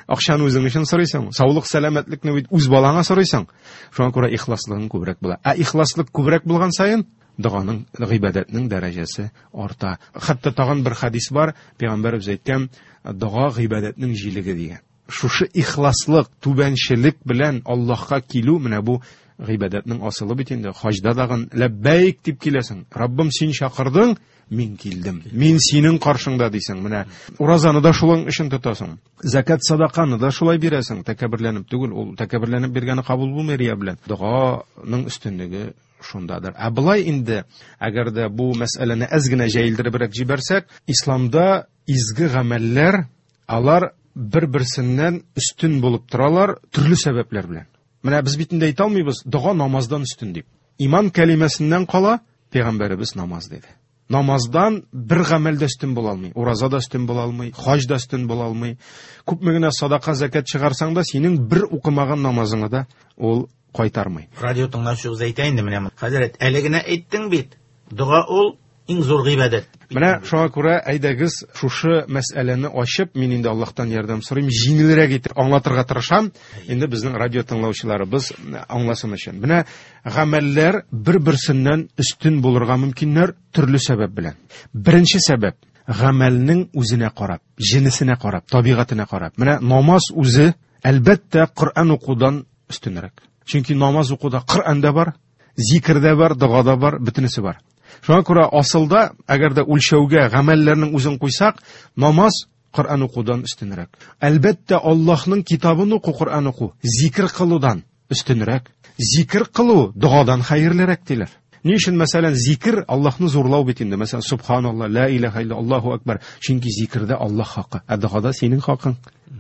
Акчаны үзең өчен сорыйсың. Саулык, сәламәтлекне бит үз балаңа сорыйсың. Шуңа күрә ихласлыгың күбрәк була. Ә ихласлык күбрәк булган саен доганың, гыйбадәтнең дәрәҗәсе арта. Хәтта тагын бер хадис бар, пәйгамбәребез әйткән, дога гыйбадәтнең җилеге дигән. Шушы ихласлык, түбәнчелек белән Аллаһка килү, менә бу гыйбадәтнең асылы бит инде. Хаҗда дагын ләббәйк дип киләсең. Раббым, син чакырдың, мин килдем. Мин синең каршыңда дисең. Менә уразаны да шулың өчен тотасың. Закат, садаканы да шулай бирәсең. Тәкәбберләнеп түгел, ул тәкәбберләнеп биргәне кабул булмый рия белән. Доганың өстенлеге шундадыр. Ә былай инде, әгәр дә бу мәсьәләне әз генә җәелдеребрәк җибәрсәк, исламда изге гамәлләр алар бер-берсеннән өстен булып торалар төрле сәбәпләр белән. Менә без бит инде әйтә алмыйбыз, дога намаздан өстен дип. Иман кәлимәсеннән кала пәйгамбәребез намаз диде. Намаздан бер гамәл дә өстен була алмый, ураза да өстен була алмый, хаҗ да өстен була алмый. Күпме генә садака, закат чыгарсаң да, синең бер укымаган намазыңа да ул кайтармый. Радио тыңлаучыбыз әйтә инде менә. Хәзрәт, әле генә әйттең бит. Дога ул иң зур гыйбадәт. Менә шуңа күрә әйдәгез шушы мәсьәләне ачып, мин инде Аллаһтан ярдәм сорыйм, җиңелрәк итеп аңлатырга тырышам. Инде безнең радио тыңлаучыларыбыз аңласын өчен. Менә гамәлләр бер-берсеннән өстен булырга мөмкиннәр төрле сәбәп белән. Беренче сәбәп гамәлнең үзенә карап, җенесенә карап, табигатенә карап. Менә намаз үзе әлбәттә Коръән укудан өстенрәк. Чөнки намаз укуда Коръән дә бар, зикер дә бар, дога да бар, бөтенесе бар. Шуңа күрә асылда, әгәр дә үлчәүгә гамәлләрнең үзен куйсак, намаз Коръән укудан өстенрәк. Әлбәттә, Аллаһның китабын уку, Коръән уку зикр кылудан өстенрәк. Зикр кылу догадан хәерлерәк диләр. Ни өчен, мәсәлән, зикр Аллаһны зурлау бит инде. Мәсәлән, субханалла, ла илаһа илля, Аллаһу акбар. Чөнки зикрдә Аллаһ хакы, ә догада синең хакың.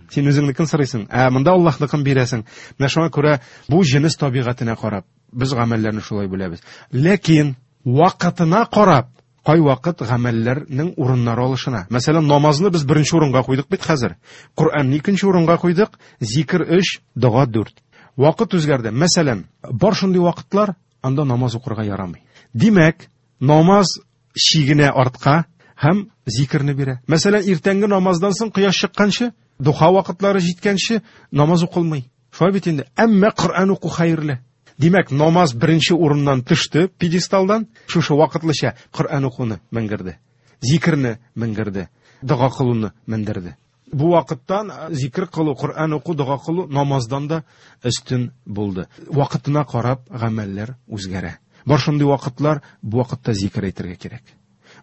Син үзеңнекен сорыйсың, ә монда Аллаһныкын бирәсең. Менә шуңа күрә бу җенес табигатенә карап без гамәлләрне шулай бүләбез. Ләкин вакытына карап, кай вакыт гамәлләрнең урыннары алышына. Мәсәлән, намазны без беренче урынга куйдык бит хәзер. Коръәнне икенче урынга куйдык, зикр өч, дога дүрт. Вакыт үзгәрде. Мәсәлән, бар шундый вакытлар, анда намаз укырга ярамый. Димәк, намаз чигенә артка һәм зикрне бирә. Мәсәлән, иртәнге намаздан соң кояш чыкканчы, духа вакытлары җиткәнче намаз укылмый. Шулай бит инде. Әмма Коръән уку хәерле. Димәк, намаз беренче урыннан төште пьедесталдан, шушы вакытлыча Коръән укуны менгерде, зикрне менгерде, дога кылуны мендерде. Бу вакыттан зикр кылу, Коръән уку, дога кылу намаздан да өстен булды. Вакытына карап гамәлләр үзгәрә. Бар шундый вакытлар, бу вакытта зикр әйтергә кирәк.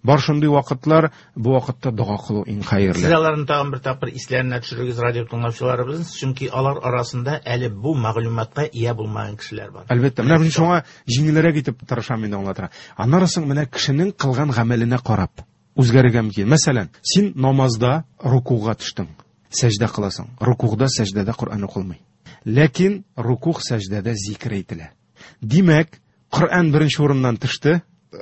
Бар шундый вакытлар, бу вакытта дога кылу иң хәерле. Сез аларны тагын бер тапкыр исләренә төшерегез радио тыңлаучыларыбыз, чөнки алар арасында әле бу мәгълүматка ия булмаган кешеләр бар. Әлбәттә, менә мин шуңа җиңелрәк итеп тырышам инде аңлатырга. Аннары соң менә кешенең кылган гамәленә карап үзгәрергә мөмкин. Мәсәлән, син намазда рукуга төштең, сәҗдә кыласың. Рукугда, сәҗдәдә Коръән укылмый. Ләкин рукуг, сәҗдәдә зикр әйтелә. Димәк, Коръән беренче урыннан төште.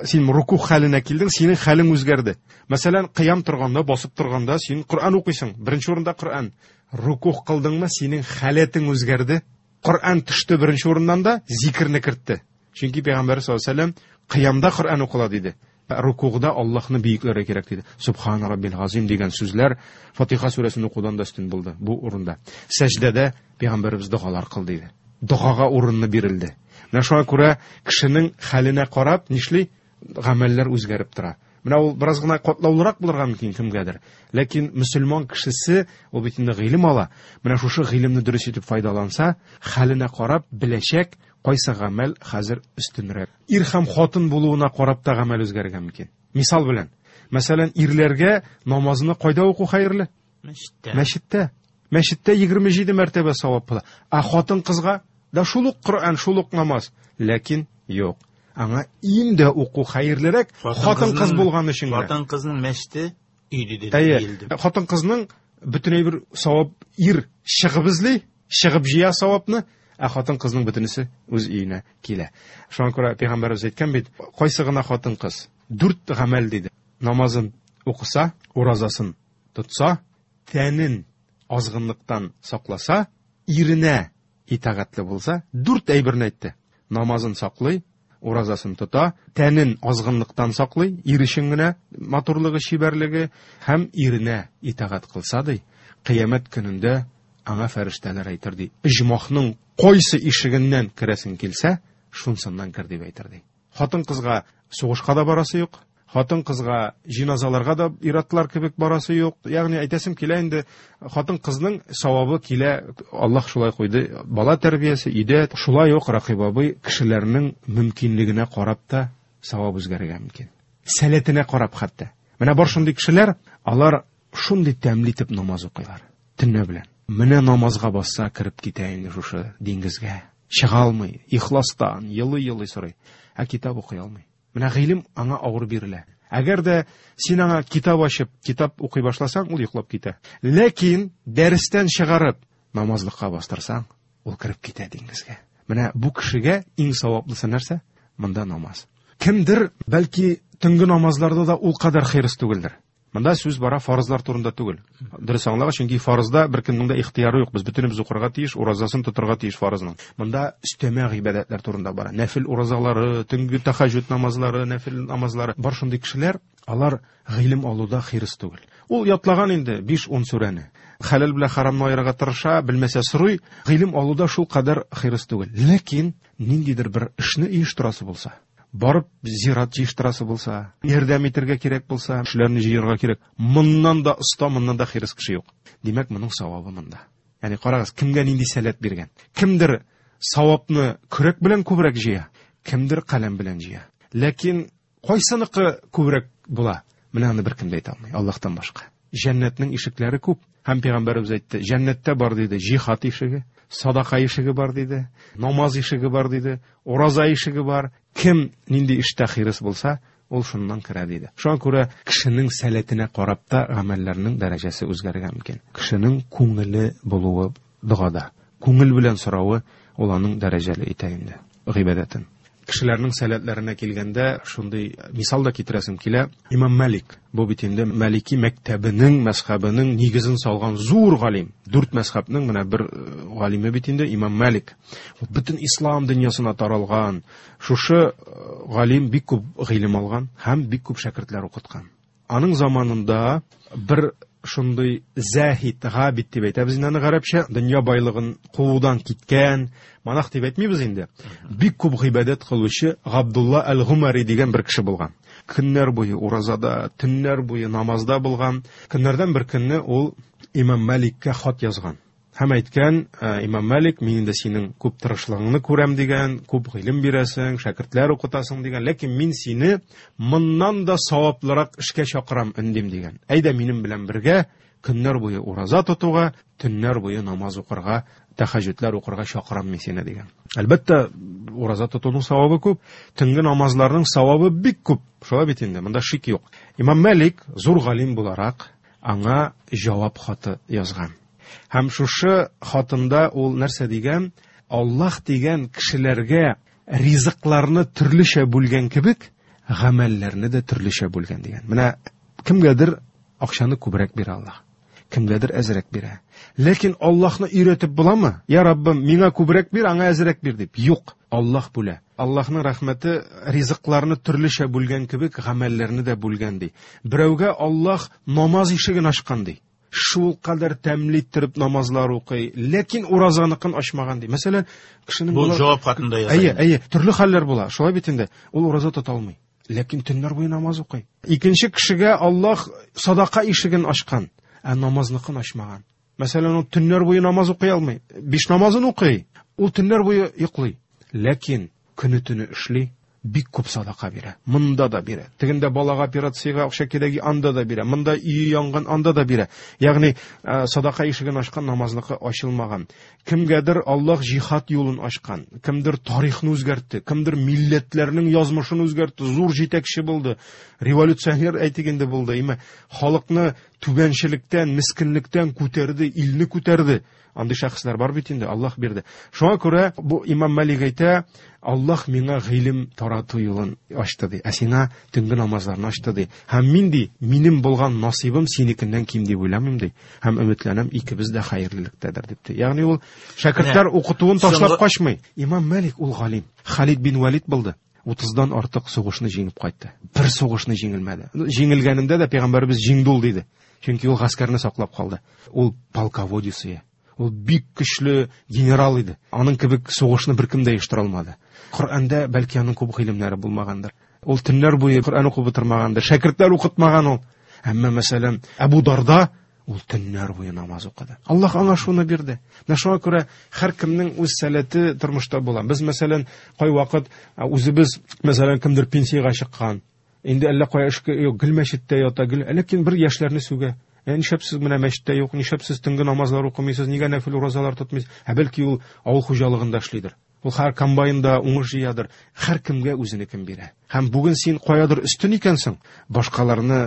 Син руку хәленә килдең, синең хәлең үзгәрде. Мәсәлән, кыям торганда, басып торганда син Коръән укыйсың. Беренче урында Коръән. Руку кылдыңмы, синең халәтең үзгәрде. Коръән төште беренче урыннан да зикрне кертте. Чөнки Пәйгамбәр саллаллаһу алейһи ва сәлләм кыямда Коръән укыла диде. Рукугда Аллаһны бөекләргә кирәк диде. Субхан раббил азим дигән сүзләр Фатиха сүрәсен укудан да өстен булды бу урында. Сәҗдәдә Пәйгамбәребез догалар кыл диде. Догага урынны бирелде. Менә шуңа күрә кешенең хәленә карап нишли? Гамәлләр үзгәреп тора. Менә ул бераз гына катлаулырак булырга мөмкин кемгәдер. Ләкин мөселман кешесе ул бит инде гыйлем ала. Менә шушы гыйлемне дөрес итеп файдаланса, хәленә карап беләчәк кайсы гамәл хәзер өстенрәк. Ир һәм хатын булуына карап та гамәл үзгәрергә мөмкин. Мисал белән, мәсәлән, ирләргә намазны кайда уку хәерле? Мәчеттә. Мәчеттә. Мәчеттә егерме җиде мәртәбә савап була. Ә хатын кызга да шул ук Коръән, шул ук намаз, ләкин юк. Аңа инде уку хәерлерәк, хатын кыз булган өчен генә. Хатын кызның мәчете өй диде, Әйе, диелде. хатын кызның бөтенләй бер савап ир чыгып эзли, чыгып җыя савапны, ә хатын кызның бөтенесе үз өенә килә. Шуңа күрә Пәйгамбәребез әйткән бит, кайсы гына хатын кыз дүрт гамәл диде. Намазын укыса, уразасын тотса, тәнен азгынлыктан сакласа, иренә итагатьле булса, дүрт әйберне әйтте. Намазын саклый, уразасын тота, тәнен азгынлыктан саклый, ир өчен генә матурлыгы, чибәрлеге һәм иренә итагать кылса ди, кыямәт көнендә аңа фәрештәләр әйтер ди: "Оҗмахның кайсы ишегеннән керәсең килсә, шунсыннан кер" дип әйтер ди. Хатын-кызга сугышка да барасы юк, хатын-кызга җиназаларга да ир-атлар кебек барасы юк. Ягъни әйтәсем килә инде, хатын-кызның савабы килә, Аллаһ шулай куйды, бала тәрбиясе, өйдә. Шулай ук Ракыйп абый кешеләрнең мөмкинлегенә карап та савап үзгәрергә мөмкин. Сәләтенә карап хәтта. Менә бар шундый кешеләр, алар шундый тәмле итеп намаз укыйлар, төнлә белән. Менә намазга басса кереп китә инде шушы диңгезгә. Чыга алмый, ихластан, елый-елый сорый. Ә китап укый алмый. Менә гыйлем аңа авыр бирелә. Әгәр дә син аңа китап ачып, китап укый башласаң, ул йоклап китә. Ләкин дәрестән чыгарып намазлыкка бастырсаң, ул кереп китә диңгезгә. Менә бу кешегә иң саваплысы нәрсә? Монда намаз. Кемдер бәлки төнге намазларда да ул кадәр хирыс түгелдер. Монда сүз бара фарызлар турында түгел. Дөрес аңлагыз, чөнки фарызда беркемнең дә ихтыяры юк. Без бөтенебез укырга тиеш, уразасын тотырга тиеш фарызның. Монда өстәмә гыйбадәтләр турында бара. Нәфил уразалары, төнге тәһәҗҗүд намазлары, нәфил намазлары. Бар шундый кешеләр, алар гыйлем алуда хирыс түгел. Ул ятлаган инде биш-ун сүрәне. Хәләл белән харамны аерырга тырыша, белмәсә сорый. Гыйлем алуда шул кадәр хирыс түгел. Ләкин ниндидер бер эшне оештырасы булса, барып зират җыештырасы булса, ярдәм итәргә кирәк булса, кешеләрне җыярга кирәк. Моннан да оста, моннан да хирыс кеше юк. Димәк, моның савабы монда. Ягъни карагыз, кемгә нинди сәләт биргән. Кемдер савапны көрәк белән күбрәк җыя, кемдер каләм белән җыя. Ләкин кайсыныкы күбрәк була? Менә аны беркем дә әйтә алмый, Аллаһтан башка. Җәннәтнең ишекләре күп. Һәм пәйгамбәребез әйтте, җәннәттә бар диде, җихад ишеге, садака ишеге бар диде, намаз ишеге бар диде, ураза ишеге бар. Кем нинди эштә хирыс булса, ул шуннан керә диде. Шуңа күрә кешенең сәләтенә карап та гамәлләрнең дәрәҗәсе үзгәрергә мөмкин. Кешенең күңеле булуы догада, күңел белән соравы ул аның дәрәҗәле итә инде гыйбадәтен. Кешеләрнең сәләтләренә килгәндә шундый мисал да китерәсем килә. Имам Малик, бу бит инде Малики мәктәбенең, мәзһәбенең нигезен салган зур галим. Дүрт мәзһәбнең менә бер галиме бит инде Имам Малик. Ул бөтен ислам дөньясына таралган. Шушы галим бик күп гыйлем алган һәм бик күп шәкертләр укыткан. Аның заманында бер шундый заһид, габид дип әйтәбез инде аны гарәпчә, дөнья байлыгын куудан киткән, монах дип әйтмибез инде. Бик күп гыйбадәт кылучы Габдулла әл-Гумари дигән бер кеше булган. Көннәр буе уразада, төннәр буе намазда булган. Көннәрдән бер көнне ул Имам Маликкә хат язган. Һәм әйткән, Имам Малик, мин инде синең күп тырышлыгыңны күрәм дигән, күп гыйлем бирәсең, шәкертләр укытасың дигән, ләкин мин сине моннан да саваплырак эшкә чакырам, өндим дигән. Әйдә минем белән бергә көннәр буе ураза тотуга, төннәр буе намаз укырга, тәһәҗҗүдләр укырга чакырам мин сине дигән. Әлбәттә, ураза тотуның савабы күп, төнге намазларның савабы бик күп. Шулай бит инде, монда шик юк. Имам Малик зур галим буларак аңа җавап хаты язган. Һәм шушы хатында ул нәрсә дигән? Аллаһ дигән кешеләргә ризыкларны төрлечә бүлгән кебек, гамәлләрне дә төрлечә бүлгән дигән. Менә кемгәдер акчаны күбрәк бирә Аллаһ, кемгәдер әзрәк бирә. Ләкин Аллаһны өйрәтеп буламы? Я Раббым, миңа күбрәк бир, аңа әзрәк бир дип. Юк, Аллаһ бүлә. Аллаһның рәхмәте ризыкларны төрлечә бүлгән кебек, гамәлләрне дә бүлгән ди. Берәүгә Аллаһ намаз ишеген ачкан ди. Шул кадәр тәмле иттереп намазлар укый, ләкин уразаныкын ачмаган ди. Мәсәлән, кешенең бу җавап хатында яза. Әйе, әйе, төрле хәлләр була. Шулай бит инде. Ул ураза тота алмый, ләкин төннәр буе намаз укый. Икенче кешегә Аллаһ садака ишеген ачкан, ә намазныкын ачмаган. Мәсәлән, ул төннәр буе намаз укый алмый, биш намазын укый, ул төннәр буе йоклый, ләкин көне-төне эшли, бик күп садака бирә. Монда да бирә. Тегендә балага операциягә акча кирәге, анда да бирә. Монда өе янган, анда да бирә. Ягъни садака ишеген ачкан, намазлыкы ачылмаган. Кемгәдер Аллаһ җихад юлын ачкан, кемдер тарихны үзгәртте, кемдер милләтләрнең язмышын үзгәртте, зур җитәкче булды, революционер әйтик инде булды. Имә халыкны түбәнчелектән, мискинлектән күтәрде, илне күтәрде. Андый шәхесләр бар бит инде, Аллаһ бирде. Шуңа күрә бу Имам Малик әйтә, Аллаһ миңа гыйлем тарату юлын ачты ди, ә сиңа төнге намазларны ачты ди. Һәм мин ди, минем булган насыйбым синекеннән ким дип уйламыйм ди. Һәм өметләнәм, икебез дә хәерлелектәдер дип ди. Ягъни ул шәкертләр укытуын ташлап качмый. Имам Малик ул галим. Халид бин Валид булды. утыздан артык сугышны җиңеп кайтты. Бер сугышны җиңелмәде. Җиңелгәнендә дә пәйгамбәребез җиңде ул диде. Чөнки ул гаскәрне саклап калды. Ул полководец иде. Ул бик көчле генерал иде. Аның кебек сугышны беркем дә оештыра алмады. Коръәндә бәлки аның күп гыйлемнәре булмагандыр. Ул төннәр буе Коръән укып утырмагандыр, шәкертләр укытмаган ул. Әмма мәсәлән, Әбу Дарда ул төннәр буе намаз укыды. Аллаһ аңа шуны бирде. Менә шуңа күрә һәркемнең үз сәләте тормышта була. Без мәсәлән, кайвакыт үзебез, мәсәлән, кемдер пенсиягә чыккан, инде әллә кая эшкә юк, гел мәчеттә ята, гел, ләкин бер яшьләрне сүгә. Ә нишләп сез менә мәчеттә юк, нишләп сез төнге намазлар укымыйсыз, нигә нәфил уразалар тотмыйсыз? Ә бәлки ул авыл хуҗалыгында эшлидер. Ул һәр комбайнда уңыш җыядыр. Һәркемгә үзенекен бирә. Һәм бүген син каядыр өстен икәнсең, башкаларны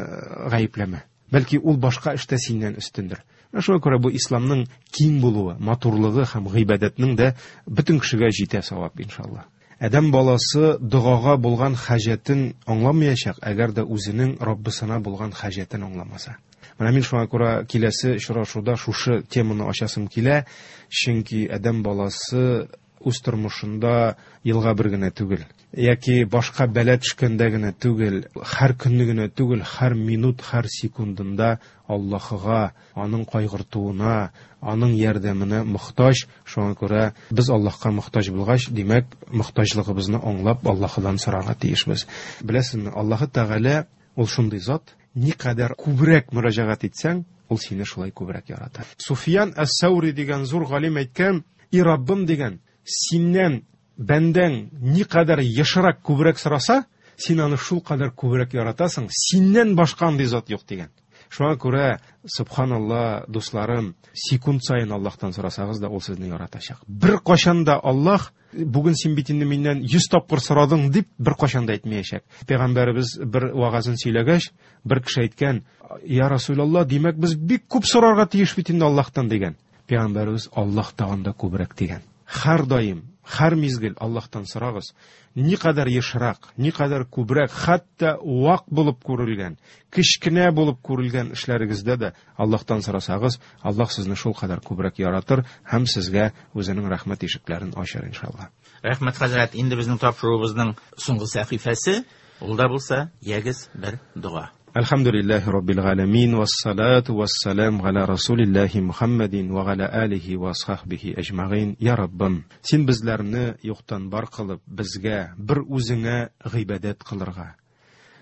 гаепләмә. Бәлки ул башка эштә синнән өстендер. Менә шуңа күрә бу исламның киң булуы, матурлыгы һәм гыйбадәтнең дә бөтен кешегә җитә савап иншалла. Адәм баласы догага булган хаҗәтен аңламаячак, әгәр дә үзенең Раббысына булган хаҗәтен аңламаса. Менә мин шуңа күрә киләсе очрашуда шушы теманы ачасым килә, чөнки адәм баласы үз тормышында елга бер генә түгел, яки башка бәла төшкәндә генә түгел, һәр көнне генә түгел, һәр минут, һәр секундында Аллаһыга, аның кайгыртуына, аның ярдәменә мохтаҗ. Шуңа күрә без Аллаһка мохтаҗ булгач, димәк, мохтаҗлыгыбызны аңлап Аллаһыдан сорарга тиешбез. Беләсезме, Аллаһы Тәгалә ул шундый зат, никадәр күбрәк мөрәҗәгать итсәң, ул сине шулай күбрәк ярата. Суфиян әс-Саури дигән зур галим әйткән, "И Раббым" дигән, синнән бәндәң никадәр ешрак күбрәк сораса, син аны шул кадәр күбрәк яратасың, синнән башка андый зат юк дигән. Шуңа күрә, субханалла, дусларым, секунд саен Аллаһтан сорасагыз да, ул сезне яратачак. Бер кашан да Аллаһ, бүген син бит инде миннән йөз тапкыр сорадың дип, бер кашан да әйтмәячәк. Пәйгамбәребез бер вагазын сөйләгәч, бер кеше әйткән, "Я Расулалла, димәк без бик күп сорарга тиеш бит инде Аллаһтан" дигән. Пәйгамбәребез Аллаһ тагын да күбрәк дигән. Һәр даим, һәр мизгел Аллаһтан сорагыз. Никадәр ешрак, никадәр күбрәк, хәтта вак булып күрелгән, кечкенә булып күрелгән эшләрегездә дә Аллаһтан сорасагыз, Аллаһ сезне шул кадәр күбрәк яратыр һәм сезгә үзенең рәхмәт ишекләрен ачар иншалла. Рәхмәт хәзрәт, инде безнең тапшыруыбызның соңгы сәхифәсе, ул да булса, ягез бер дога. Әлхәмдүлилләһи раббил галәмин, вассалату вассалам галя расулиллаһи Мухаммадин ва галя алихи ва асхабихи әҗмәгыйн. Я Раббым, син безләрне юктан бар кылып, безгә бер үзеңә гыйбадәт кылырга,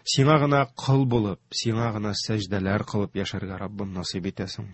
сиңа гына кол булып, сиңа гына сәҗдәләр кылып яшәргә Раббым насыйп итәсең.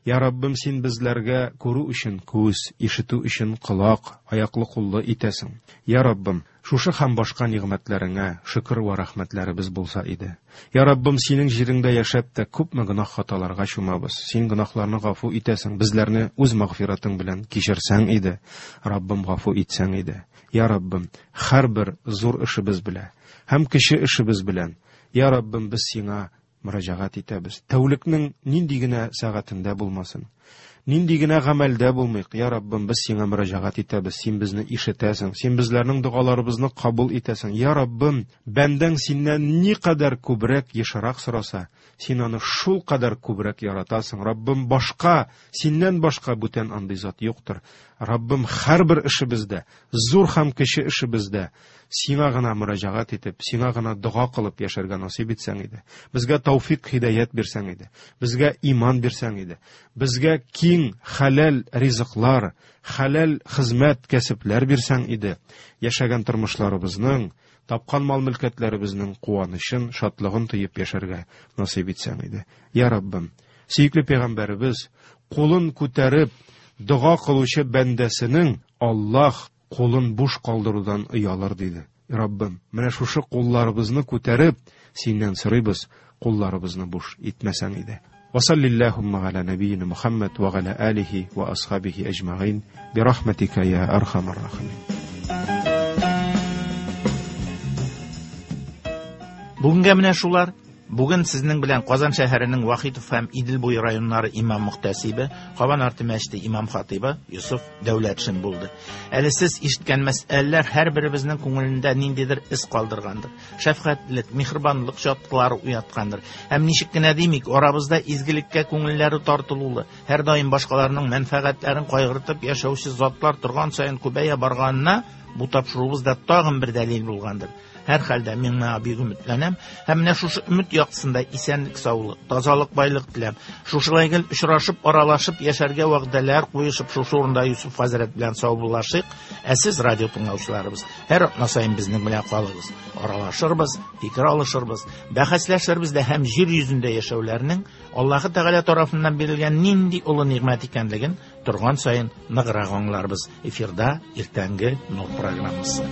Я Раббым, син безләргә күрү өчен күз, ишетү өчен колак, аяклы куллы итәсең. Я Раббым, шушы һәм башка нигъмәтләреңә шөкер вә рәхмәтләребез булса иде. Я Раббым, синең җиреңдә яшәп тә күпме гөнаһ хаталарга чумабыз. Син гөнаһларны гафу итәсең, безләрне үз мәгъфиратың белән кичерсәң иде. Раббым, гафу итсәң иде. Я Раббым, һәрбер зур эшебез белән һәм кече эшебез белән, Я Раббым, без сиңа мөрәҗәгать итәбез. Тәүлекнең нинди генә сәгатендә булмасын, нинди генә гамәлдә булмыйк, Я Раббым, без сиңа мөрәҗәгать итәбез. Син безне ишетәсең, син безләрнең догаларыбызны кабул итәсең. Я Раббым, бәндәң синнән никадәр күбрәк, ешрак сораса, син аны шул кадәр күбрәк яратасың. Раббым, башка, синнән башка бүтән андый зат юктыр. Раббым, һәрбер эшебездә, зур һәм кече эшебездә сиңа гына мөрәҗәгать итеп, сиңа гына дога кылып яшәргә насыйп итсәң иде. Безгә тәүфик, һидаят бирсәң иде. Безгә иман бирсәң иде. Безгә киң хәләл ризыклар, хәләл хезмәт, кәсепләр бирсәң иде. Яшәгән тормышларыбызның, тапкан мал-мөлкәтләребезнең куанычын, шатлыгын тоеп яшәргә насыйп итсәң иде. Я Раббым, сөекле пәйгамбәребез кулын күтәреп дога кылучы бәндәсенең Аллаһ кулын буш калдырудан оялыр диде. Раббым, менә шушы кулларыбызны күтәреп синнән сорыйбыз, кулларыбызны буш итмәсәң иде. Ва саллиллахумма галя набийина Мухаммад ва галя алихи ва асхабихи әҗмәгыйн би рахматика я архамар рахимин. Бүгенгә менә шулар. Бүген сезнең белән Казан шәһәренең Вахитов һәм Идел буе районнары имам мөхтәсибе, Кабан арты мәчете имам хатибы Йосыф Дәүләтшин булды. Әле сез ишеткән мәсьәләләр һәрберебезнең күңелендә ниндидер эз калдыргандыр. Шәфкатьлек, миһербанлык чаткылары уяткандыр. Һәм ничек кенә димик, арабызда изгелеккә күңелләре тартылулы, һәрдаим башкаларның мәнфәгатьләрен кайгыртып яшәүче затлар торган саен күбәя барганына Бу тапшыруыбыз да тагын бер дәлил булгандыр. Һәрхәлдә мин моңа бик өметләнәм һәм менә шушы өмет яктысында исәнлек, саулык, тазалык, байлык теләп, шушылай гел очрашып, аралашып яшәргә вәгъдәләр куешып, шушы урында Юсуф хәзрәт белән саубуллашыйк. Ә сез, радио тыңлаучыларыбыз, һәр атна саен безнең белән калыгыз. Аралашырбыз, фикер алышырбыз, бәхәсләшербез дә һәм җир йөзендә яшәүләрнең Аллаһы Тәгалә тарафыннан бирелгән нинди олы нигъмәт икәнлеген торган саен ныграк аңларбыз. Эфирда иртәнге Нур программасы.